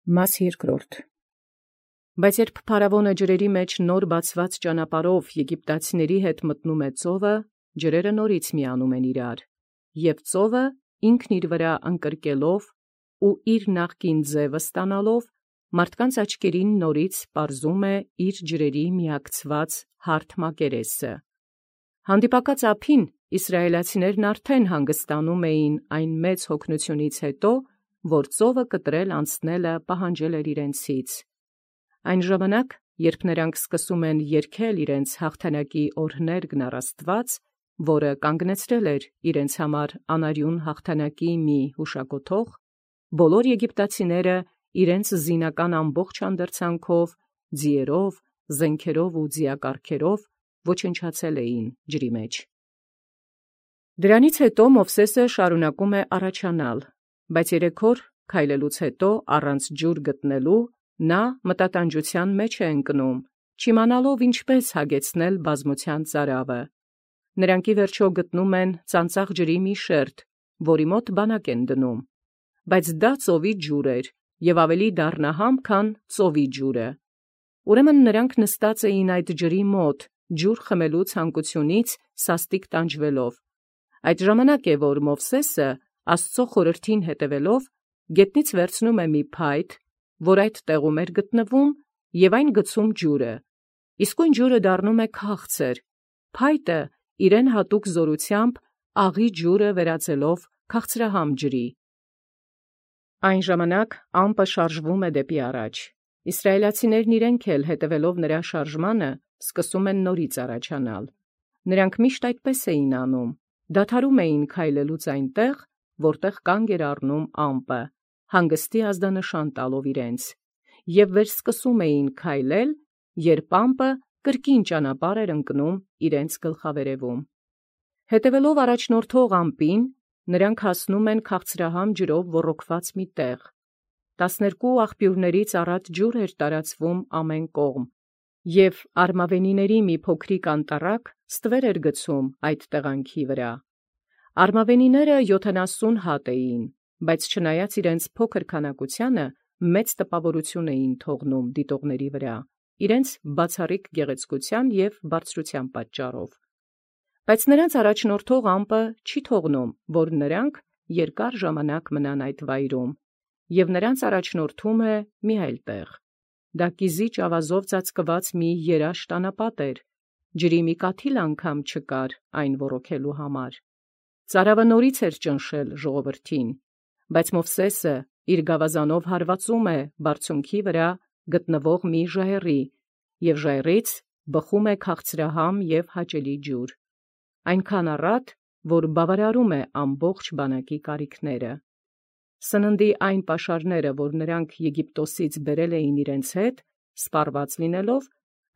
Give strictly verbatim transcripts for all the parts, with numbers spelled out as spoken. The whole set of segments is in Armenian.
Մաս երկրորդ. Բայց երբ փարավոնը ջրերի մեջ նոր բացված ճանապարհով Եգիպտացիների հետ մտնում է ծովը, ջրերը նորից միանում են իրար, և ծովը ինքն իր վրա ընկրկելով ու իր նախկին ձևը ստանալով, մարդկանց աչքերին նորից պարզում է իր ջրերի միակցված հարթ մակերեսը։ Հանդիպակաց ափին իսրայելացիներն արդեն հանգստանում էին այն մեծ հոգնությունից հետո, որ ծովը կտրել անցնելը պահանջել էր իրենցից։ Այն ժամանակ, երբ նրանք սկսում են երգել իրենց հաղթանակի օրհներգն առ Աստված, որը կանգնեցրել էր իրենց համար անարյուն հաղթանակի մի հուշակոթող, բոլոր եգիպտացիները իրենց զինական ամբողջ անդրցանքով, ձիերով, զենքերով ու ձիակառքերով ոչնչացել էին ջրի մեջ։ Դրանից հետո Մովսէսը շարունակում է առաջանալ, բայց երեք օր քայլելուց հետո առանց ջուր գտնելու նա մտատանջության մեջ է ընկնում, չիմանալով ինչպես հագեցնել բազմության ծարավը։ Նրանք ի վերջո գտնում են ծանծաղ ջրի մի շերտ, որի մոտ բանակ են դնում, բայց դա ծովի ջուր էր և ավելի դառնահամ, քան ծովի ջուրը։ Ուրեմն նրանք նստած էին այդ ջրի մոտ, ջուր խմելու ցանկությունից սաստիկ տանջվելով։ Այդ ժամանակ է, որ Մովսէսը Աստծո խորհրդին հետևելով գետնից վերցնում է մի փայտ, որ այդ տեղում էր գտնվում, և այն գցում ջուրը, իսկույն ջուրը դառնում է քաղցր, փայտը իրեն հատուկ զորությամբ աղի ջուրը վերածելով քաղցրահամ ջրի։ Այն ժամանակ ամպը շարժվում է դեպի առաջ։ Իսրայելացիներն իրենք էլ հետևելով նրա շարժմանը սկսում են նորից առաջանալ։ Նրանք միշտ այդպես էին անում, դադարում էին քայլելուց այնտեղ, որտեղ կանգ էր առնում ամպը, հանգստի ազդանշան տալով իրենց, և վերսկսում էին քայլել, երբ ամպը կրկին ճանապարհ էր ընկնում իրենց գլխավերևում։ Հետևելով առաջնորդող ամպին, նրանք հասնում են քաղցրահամ ջրով ոռոգված մի տեղ։ Տասներկու աղբյուրներից առատ ջուր էր տարածվում ամեն կողմ, և արմավենիների մի փոքրիկ անտառակ ստվեր էր գցում այդ տեղանքի վրա։ Արմավենիները յոթանասուն հատ էին, բայց չնայած իրենց փոքր քանակությանը, մեծ տպավորություն էին թողնում դիտողների վրա, իրենց բացառիկ գեղեցկության և բարձրության պատճառով։ Բայց նրանց առաջնորդող ամպը չի թողնում, որ նրանք երկար ժամանակ մնան այդ վայրում, և նրանց առաջնորդում է մի այլ տեղ։ Դա կիզիչ ավազով ծածկված մի երաշտ անապատ էր, ջրի մի կաթիլ անգամ չկար այն ոռոգելու համար։ Ծարավը նորից էր ճնշել ժողովրդին, բայց Մովսէսը իր գավազանով հարվածում է բարձունքի վրա գտնվող մի ժայռի, և ժայռից բխում է քաղցրահամ և հաճելի ջուր, այնքան առատ, որ բավարարում է ամբողջ բանակի կարիքները։ Սննդի այն պաշարները, որ նրանք Եգիպտոսից բերել էին իրենց հետ, սպառված լինելով,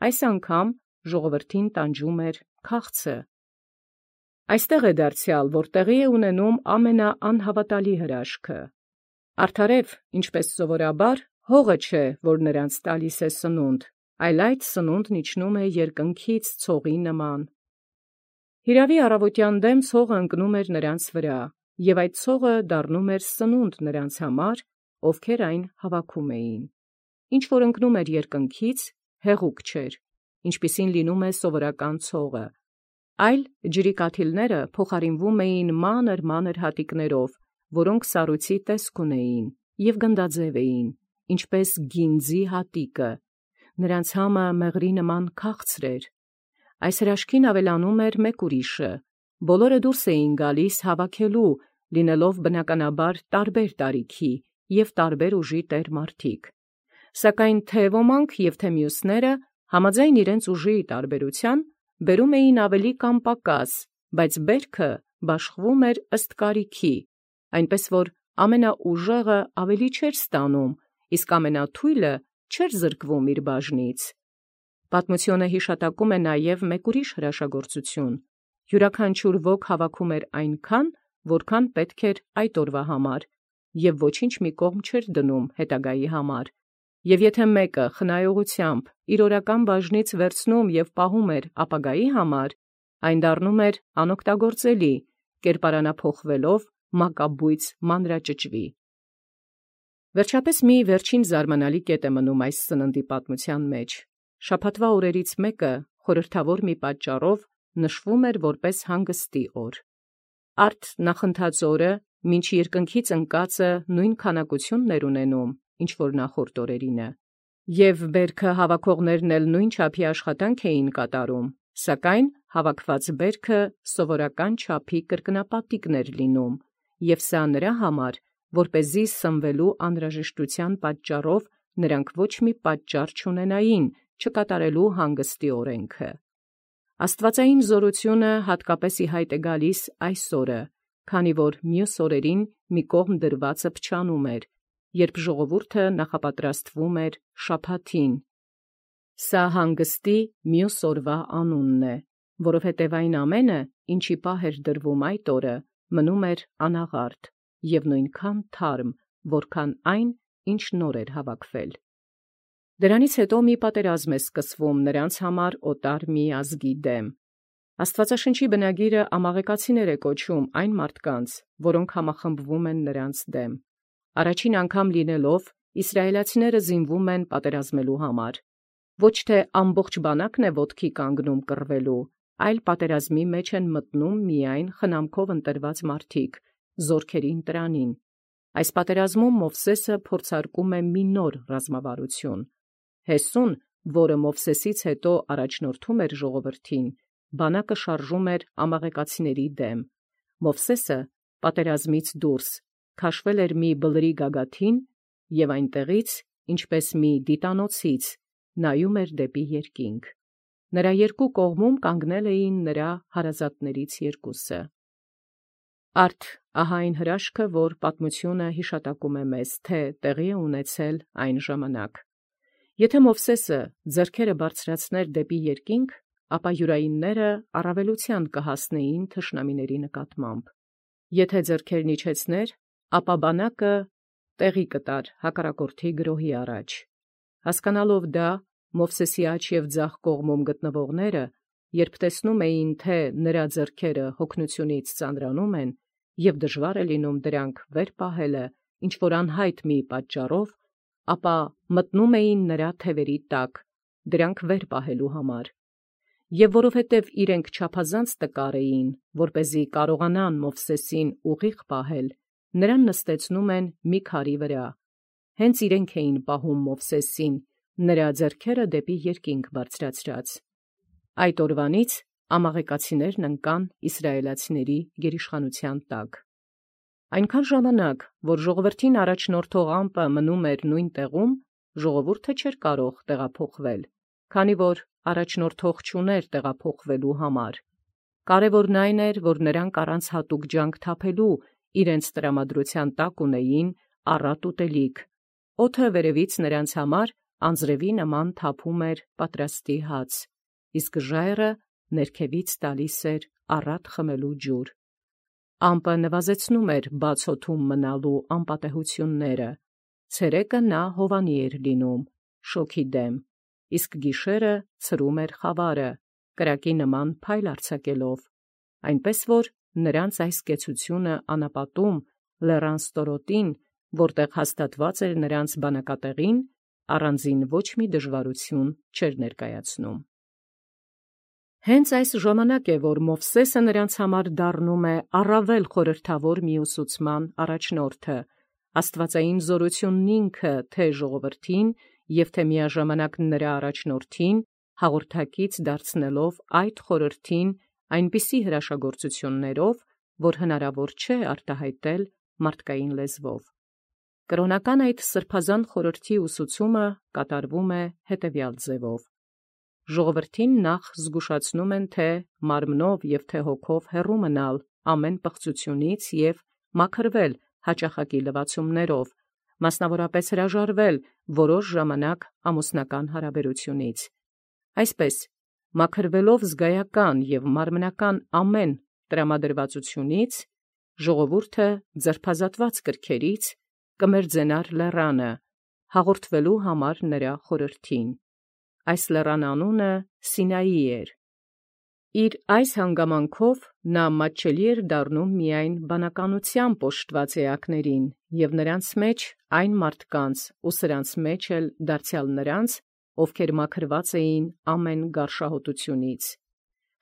այս անգամ ժողովրդին տանջում էր քաղցը։ Այստեղ է դարձյալ, որ տեղի է ունենում ամենաանհավատալի հրաշքը։ Արդարև, ինչպես սովորաբար, հողը չէ, որ նրանց տալիս է սնունդ, այլ այդ սնունդն իջնում է երկնքից ցողի նման։ Հիրավի առավոտյան դեմ ցողը ընկնում էր նրանց վրա, և այդ ցողը դառնում էր սնունդ նրանց համար, ովքեր այն հավաքում էին։ Ինչ որ ընկնում էր երկնքից, հեղուկ չէր, ինչպիսին լինում է սովորական ցողը, այլ ջրի կաթիլները փոխարինվում էին մանր-մանր հատիկներով, որոնք սառույցի տեսք ունեին և գնդաձև էին, ինչպես գինձի հատիկը, նրանց համը մեղրի նման քաղցր էր։ Այս հրաշքին ավելանում էր մեկ ուրիշը. բոլորը դուրս էին գալիս հավաքելու, լինելով բնականաբար տարբեր տարիքի և տարբեր ուժի տեր-մարդիկ։ Սակայն թե ոմանք և թե մյուսները, համաձայն իրենց ուժի տարբերության, բերում էին ավելի կամ պակաս, բայց բերքը բաշխվում էր ըստ կարիքի, այնպես որ ամենաուժեղը ավելի չէր ստանում, իսկ ամենաթույլը չէր զրկվում իր բաժնից։ Պատմությունը հիշատակում է նաև մեկ ուրիշ հրաշագործություն. յուրաքանչյուր ոք հավաքում էր այնքան, որքան պետք էր այդ օրվա համար, և ոչինչ մի կողմ չէր դնում հետագայի համար, և եթե մեկը խնայողությամբ իր օրական բաժնից վերցնում և պահում էր ապագայի համար, այն դառնում էր անօգտագործելի, կերպարանափոխվելով մակաբույծ մանրաճճվի։ Վերջապես մի վերջին զարմանալի կետ է մնում այս սննդի պատմության մեջ։ Շաբաթվա օրերից մեկը խորհրդավոր մի պատճառով նշվում էր որպես հանգստի օր։ Արդ նախընթաց օրը մինչ երկնքից ընկածը նույն քանակությունն էր ունենում, ինչ որ նախորդ օրերինը, և բերքը հավաքողներն էլ նույն չափի աշխատանք էին կատարում, սակայն հավաքված բերքը սովորական չափի կրկնապատիկն էր լինում, և սա նրա համար, որպեսզի սնվելու անհրաժեշտության պատճառով նրանք ոչ մի պատճառ չունենային չկատարելու հանգստի օրենքը։ Աստվածային զորությունը հատկապես ի հայտ է գալիս այս օրը, քանի որ մյուս օրերին մի կողմ դրվածը փչանում էր, երբ ժողովուրդը նախապատրաստվում էր շաբաթին։ Սա հանգստի մյուս օրվա անունն է, որովհետև այն ամենը, ինչի պահ էր դրվում այդ օրը, մնում էր անաղարտ և նույնքան թարմ, որքան այն, ինչ նոր էր հավաքվել։ Դրանից հետո մի պատերազմ է սկսվում նրանց համար օտար մի ազգի դեմ։ Աստվածաշնչի բնագիրը ամաղեկացիներ է կոչում այն մարդկանց, որոնք համախմբվում են նրանց դեմ։ Առաջին անգամ լինելով իսրայելացիները զինվում են պատերազմելու համար։ Ոչ թե ամբողջ բանակն է ոտքի կանգնում կռվելու, այլ պատերազմի մեջ են մտնում միայն խնամքով ընտրված մարդիկ, զորքերի ընտրանին։ Այս պատերազմում Մովսեսը փորձարկում է մի նոր ռազմավարություն։ Հեսուն, որը Մովսեսից հետո առաջնորդում էր ժողովրդին, բանակը շարժում էր ամաղեկացիների դեմ։ Մովսեսը պատերազմից դուրս քաշվել էր մի բլրի գագաթին և այնտեղից, ինչպես մի դիտանոցից, նայում էր դեպի երկինք։ Նրա երկու կողմում կանգնել էին նրա հարազատներից երկուսը։ Արդ ահա այն հրաշքը, որ պատմությունը հիշատակում է մեզ, թե տեղի է ունեցել այն ժամանակ։ Եթե Մովսեսը ձեռքերը բարձրացներ դեպի երկինք, ապա յուրայինները առավելության կհասնեին թշնամիների նկատմամբ։ Եթե ձեռքերն իջեցներ, ապա բանակը տեղի կտար հակառակորդի գրոհի առաջ։ Հասկանալով դա, Մովսեսի աջ և ձախ կողմում գտնվողները, երբ տեսնում էին, թե նրա ձեռքերը հոգնությունից ծանրանում են, և դժվար է լինում դրանք վեր պահելը ինչ-որ անհայտ մի պատճառով, ապա մտնում էին նրա թևերի տակ, դրանք վեր պահելու համար։ Եվ որովհետև իրենք չափազանց տկար էին, որպեսզի կարողանան Մովսեսին ուղիղ պահել, նրան նստեցնում են մի քարի վրա։ Հենց իրենք էին պահում Մովսեսին, նրա ձեռքերը դեպի երկինք բարձրացրած։ Այդ օրվանից ամաղեկացիներն ընկան իսրայելացիների գերիշխանության տակ։ Այնքան ժամանակ, որ ժողովրդին առաջնորդող ամպը մնում էր նույն տեղում, ժողովուրդը չէր կարող տեղափոխվել, քանի որ առաջնորդող չուներ տեղափոխվելու համար։ Կարևորն այն էր, որ նրանք առանց հատուկ ջանք թափելու իրենց տրամադրության տակ ունեին առատ ուտելիք։ Օդը վերևից նրանց համար անձրևի նման թափում էր պատրաստի հաց, իսկ ժայռը ներքևից տալիս էր առատ խմելու ջուր։ Ամպը նվազեցնում էր բաց օդում մնալու անպատեհությունները։ Ցերեկը նա հովանի էր լինում, շոգի դեմ, իսկ գիշերը ցրում էր խավարը, կրակի նման փայլ արձակելով, այնպես որ նրանց այս կեցությունը անապատում լեռան ստորոտին, որտեղ հաստատված էր նրանց բանակատեղին, առանձին ոչ մի դժվարություն չէր ներկայացնում։ Հենց այս ժամանակ է, որ Մովսեսը նրանց համար դառնում է առավել խորհրդավոր մի ուսուցման առաջնորդը, աստվածային զորությունն ինքը թե ժողովրդին և թե միաժամանակ նրա առաջնորդին հաղորդակից դարձնելով այդ խորհրդին այնպիսի հրաշագործություններով, որ հնարավոր չէ արտահայտել մարդկային լեզվով։ Կրոնական այդ սրբազան խորհրդի ուսուցումը կատարվում է հետևյալ ձևով. ժողովրդին նախ զգուշացնում են, թե մարմնով և թե հոգով հեռու մնալ ամեն պղծությունից և մաքրվել հաճախակի լվացումներով, մասնավորապես հրաժարվել որոշ ժամանակ ամուսնական հարաբերությունից։ Այսպես, մաքրվելով զգայական և մարմնական ամեն տրամադրվածությունից, ժողովուրդը ձերբազատված կրքերից կմերձենար լեռանը, հաղորդվելու համար նրա խորհրդին։ Այս լեռան անունը Սինայի էր։ Իր այս հանգամանքով նա մատչելի էր դառնում միայն բանականութեամբ օժտված էակներին, և նրանց մեջ այն մարդկանց, ու սրանց մեջ էլ դարձեալ նրանց, ովքեր մաքրված էին ամեն գարշահոտութիւնից։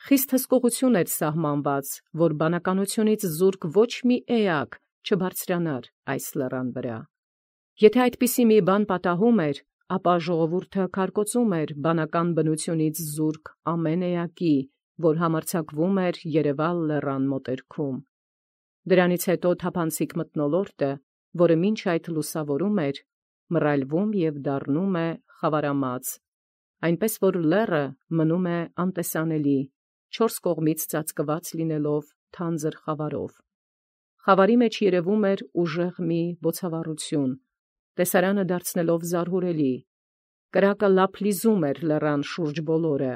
Խիստ հսկողություն էր սահմանված, որ բանականութիւնից զուրկ ոչ մի էակ չբարձրանար այս լեռան վրա։ Եթե այդպիսի մի բան պատահում էր, ապա ժողովուրդը քարկոծում էր բանական բնութիւնից զուրկ ամեն էակի, որ համարձակվում էր երևալ լեռան մոտերքում։ Դրանից հետո թափանցիկ մթնոլորտը, որը մինչ այդ լուսավորում էր, մռայլվում և դառնում է խավարամած, այնպես որ լեռը մնում է անտեսանելի, չորս կողմից ծածկված լինելով թանձր խավարով։ Խավարի մեջ երևում էր ուժեղ մի բոցավառություն, տեսարանը դարձնելով զարհուրելի։ Կրակը լափլիզում էր լեռան շուրջ բոլորը,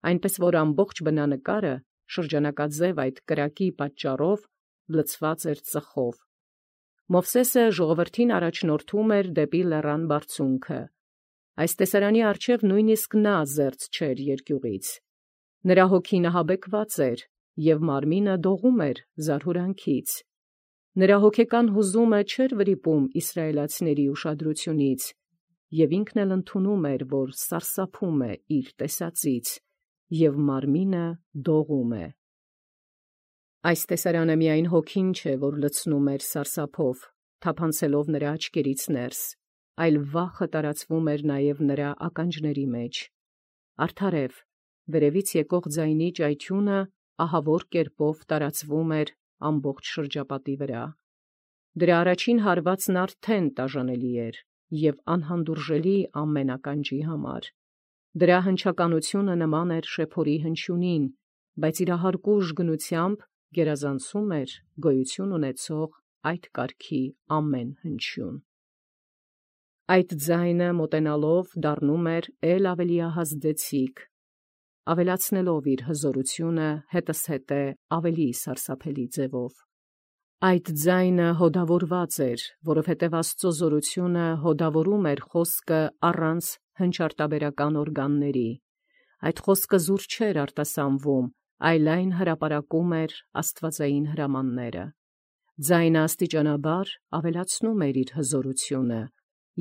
այնպես որ ամբողջ բնանկարը շրջանակաձև այդ կրակի պատճառով լցված էր ծխով։ Մովսէսը ժողովրդին առաջնորդում էր դեպի լեռան բարձունքը։ Այս տեսարանի առջև նույնիսկ նա զերծ չէր երկյուղից։ Նրա հոգին ահաբեկված էր, և մարմինը դողում էր զարհուրանքից։ Նրա հոգեկան հուզումը չէր վրիպում իսրայելացիների ուշադրությունից, և ինքն էլ ընդունում էր, որ սարսափում է իր տեսածից, և մարմինը դողում է։ Այս տեսարանը միայն հոգին չէ, որ լցնում էր սարսափով, թափանցելով նրա աչքերից ներս, այլ վախը տարածվում էր նաև նրա ականջների մեջ։ Արդարև, վերևից եկող ձայնի ճայթյունը ահավոր կերպով տարածվում էր ամբողջ շրջապատի վրա։ Դրա առաջին հարվածն արդեն տաժանելի էր և անհանդուրժելի ամեն ականջի համար։ Դրա հնչականությունը նման էր շեփորի հնչյունին, բայց իր ահարկուժ գնությամբ գերազանցում էր գոյություն ունեցող այդ կարգի ամեն հնչյուն։ Այդ ձայնը մոտենալով դառնում էր էլ ավելի ահազդեցիկ, ավելացնելով իր հզորությունը հետզհետե ավելի սարսափելի ձևով։ Այդ ձայնը հոդավորված էր, որովհետև Աստծո զորությունը հոդավորում էր խոսքը առանց հնչարտաբերական օրգանների։ Այդ խոսքը զուր չէր արտասանվում, այլ այն հրապարակում էր աստվածային հրամանները։ Ձայնը աստիճանաբար ավելացնում էր իր հզորությունը,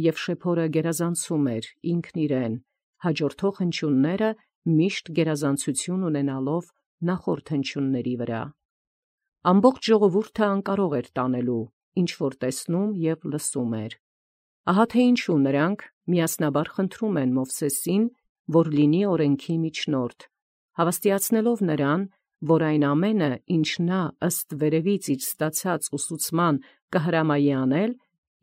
և շեփորը գերազանցում էր ինքն իրեն, հաջորդող հնչյունները միշտ գերազանցություն ունենալով նախորդ հնչյունների վրա։ Ամբողջ ժողովուրդը անկարող էր տանելու, ինչ որ տեսնում և լսում էր։ Ահա թե ինչու նրանք միասնաբար խնդրում են Մովսեսին, որ լինի օրենքի միջնորդ, հավաստիացնելով նրան, որ այն ամենը, ինչ նա ըստ վերևից իր ստացած ուսուցման կհրամայի անել,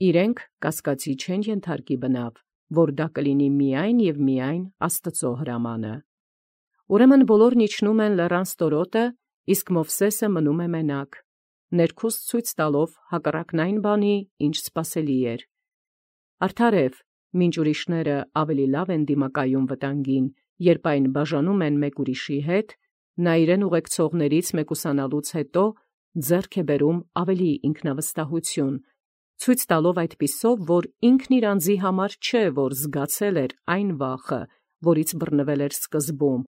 իրենք կասկածի չեն ենթարկի բնավ, որ դա կլինի միայն և միայն Աստծո հրամանը։ Ուրեմն բոլորն իջնում են լեռան ստորոտը, իսկ Մովսէսը մնում է մենակ, ներքուստ ցույց տալով հակառակն այն բանի, ինչ սպասելի էր։ Արդարև, մինչ ուրիշները ավելի լավ են դիմակայում վտանգին, երբ այն բաժանում են մեկ ուրիշի հետ, նա իրեն ուղեկցողներից մեկուսանալուց հետո ձեռք է բերում ավելի ինքնավստահություն, ցույց տալով այդպիսով, որ ինքն իր անձի համար չէ, որ զգացել էր այն վախը, որից բռնվել էր սկզբում,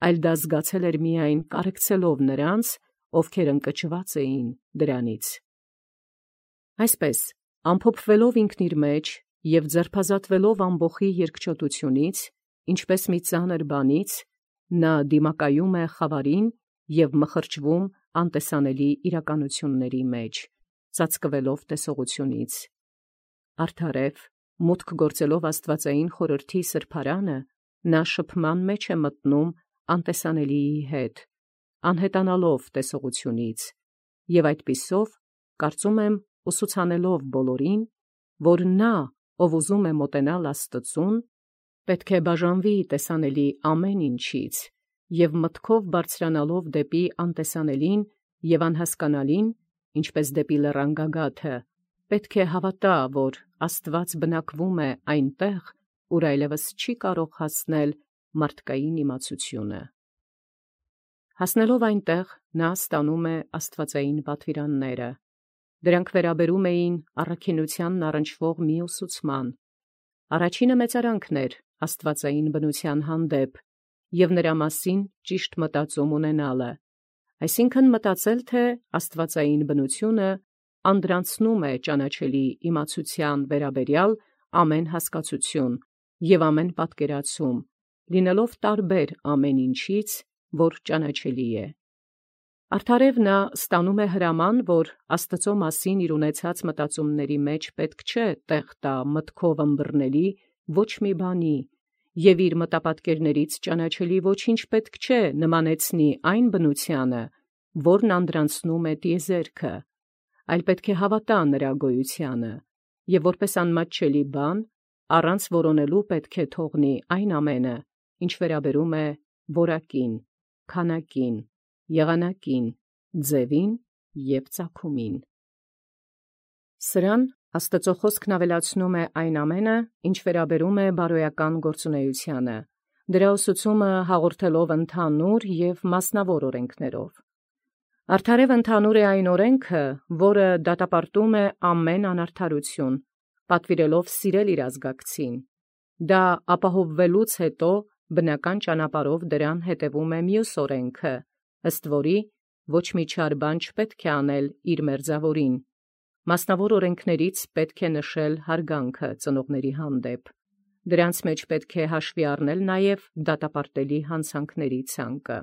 այլ դա զգացել էր միայն կարեկցելով նրանց, ովքեր ընկճված էին դրանից։ Այսպես, ամփոփվելով ինքն իր մեջ և ձերբազատվելով ամբոխի երկչոտությունից, ինչպես մի ծանր բանից, նա դիմակայում է խավարին և մխրճվում անտեսանելի իրականությունների մեջ, ծածկվելով տեսողությունից։ Արդարև, մուտք գործելով աստվածային խորհրդի սրբարանը, նա շփման մեջ է մտնում անտեսանելիի հետ, անհետանալով տեսողությունից, և այդպիսով, կարծում եմ, ուսուցանելով բոլորին, որ նա, ով ուզում է մոտենալ Աստծուն, պետք է բաժանվի տեսանելի ամեն ինչից, և մտքով բարձրանալով դեպի անտեսանելին և անհասկանալին, ինչպես դեպի լեռան գագաթը, պետք է հավատա, որ Աստված բնակվում է այնտեղ, ուր այլևս չի կարող հասնել մարդկային իմացությունը։ Հասնելով այնտեղ, նա ստանում է աստվածային պատվիրանները։ Դրանք վերաբերում էին առաքինությանն առնչվող մի ուսուցման։ Առաջինը մեծարանքն էր աստվածային բնության հանդեպ, և նրա մասին ճիշտ մտածում ունենալը, այսինքն մտածել, թե աստվածային բնությունը անդրանցնում է ճանաչելի իմացության վերաբերյալ ամեն հասկացություն և ամեն պատկերացում, լինելով տարբեր ամեն ինչից, որ ճանաչելի է։ Արդարև նա ստանում է հրաման, որ Աստծո մասին իր ունեցած մտածումների մեջ պետք չէ տեղ տա մտքով ըմբռնելի ոչ մի բանի, և իր մտապատկերներից ճանաչելի ոչինչ պետք չէ նմանեցնի այն բնությանը, որն անդրանցնում է տիեզերքը, այլ պետք է հավատա նրա գոյությանը, և որպես անմատչելի բան, առանց որոնելու պետք է թողնի այն ամենը, ինչ վերաբերում է որակին, քանակին, եղանակին, ձևին և ծագումին։ Սրան Աստծո խոսքն ավելացնում է այն ամենը, ինչ վերաբերում է բարոյական գործունեությանը, դրա ուսուցումը հաղորդելով ընդհանուր և մասնավոր օրենքներով։ Արդարև ընդհանուր է այն օրենքը, որը դատապարտում է ամեն անարդարություն, պատվիրելով սիրել իր ազգակցին։ Դա ապահովվելուց հետո բնական ճանապարհով դրան հետևում է մյուս օրենքը, ըստ որի ոչ մի չար բան չպետք է անել իր մերձավորին։ Մասնավոր օրենքներից պետք է նշել հարգանքը ծնողների հանդեպ։ Դրանց մեջ պետք է հաշվի առնել նաև դատապարտելի հանցանքների ցանկը։